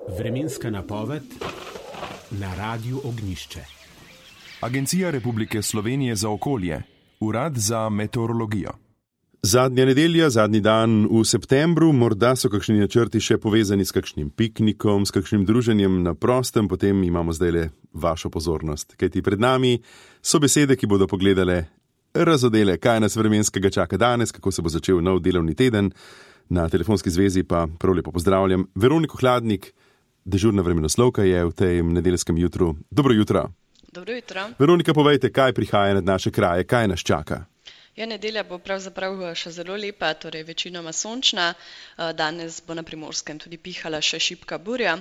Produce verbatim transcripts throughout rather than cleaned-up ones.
Vremenska napoved na Radiu Ognjišče. Agencija Republike Slovenije za okolje, Urad za meteorologijo. Zadnja nedelja, zadnji dan v septembru, morda so kakšni načrti še povezani s kakšnim piknikom, s kakšnim druženjem na prostem, potem imamo zdajle vašo pozornost. Kajti pred nami so besede, ki bodo pogledale razodele, kaj nas vremenskega čaka danes, kako se bo začel nov delovni teden. Na telefonski zvezi pa prav lepo pozdravljam Veroniko Hladnik, dežurna vremenoslovka je v tem nedeljskem jutru. Dobro jutro. Dobro jutro. Veronika, povejte, kaj prihaja nad naše kraje, kaj nas čaka? Ja, nedelja bo pravzaprav še zelo lepa, torej večinoma sončna. Danes bo na Primorskem tudi pihala še šibka burja.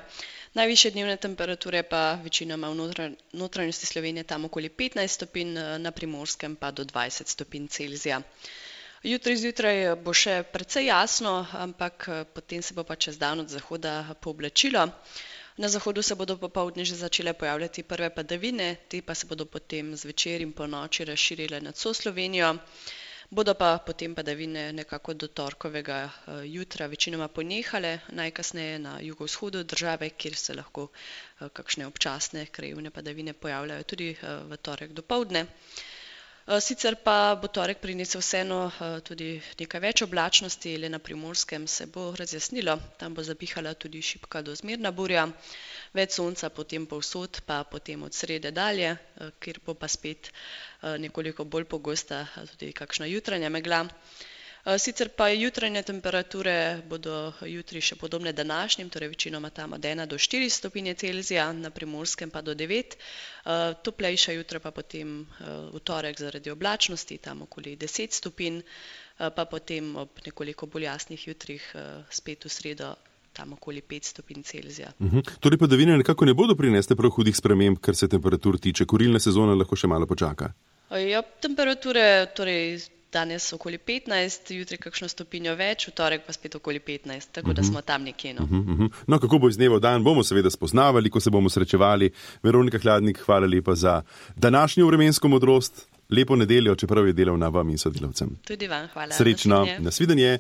Najvišje dnevne temperature pa večinoma v notranjosti Slovenije tam okoli petnajst stopinj, na Primorskem pa do dvajset stopinj Celzija. Jutri zjutraj bo še precej jasno, ampak potem se bo pa čez dan od zahoda pooblačilo. Na zahodu se bodo popoldne že začele pojavljati prve padavine, te pa se bodo potem zvečer in po noči razširile nad vso Slovenijo. Bodo pa potem padavine nekako do torkovega jutra večinoma ponehale, najkasneje na jugovzhodu države, kjer se lahko kakšne občasne krajevne padavine pojavljajo tudi v torek dopoldne. Sicer pa bo torek prinesel vseeno tudi nekaj več oblačnosti, le na Primorskem se bo razjasnilo, tam bo zapihala tudi šibka do zmerna burja, več sonca potem povsod, pa potem od srede dalje, kjer bo pa spet nekoliko bolj pogosta tudi kakšna jutranja megla. Sicer pa jutranje temperature bodo jutri še podobne današnjim, torej večinoma tam od ena do štiri stopinje Celzija, na Primorskem pa do devet. Toplejša jutra pa potem v torek zaradi oblačnosti, tam okoli deset stopinj, pa potem ob nekoliko bolj jasnih jutrih spet v sredo tam okoli pet stopinj Celzija. Uhum. Torej padavine nekako ne bodo prinesle prav hudih sprememb, kar se temperatur tiče. Kurilna sezona lahko še malo počaka. Ja, temperature torej danes okoli petnajst, jutri kakšno stopinjo več, v torek pa spet okoli petnajst, tako da smo tam nekje. No, uh-huh, uh-huh. No kako bo iz dneva v dan, bomo seveda spoznavali, ko se bomo srečevali. Veronika Hladnik, hvala lepa za današnjo vremensko modrost. Lepo nedeljo, čeprav je delovna vam in sodelavcem. Tudi vam hvala. Srečno, nasvidenje.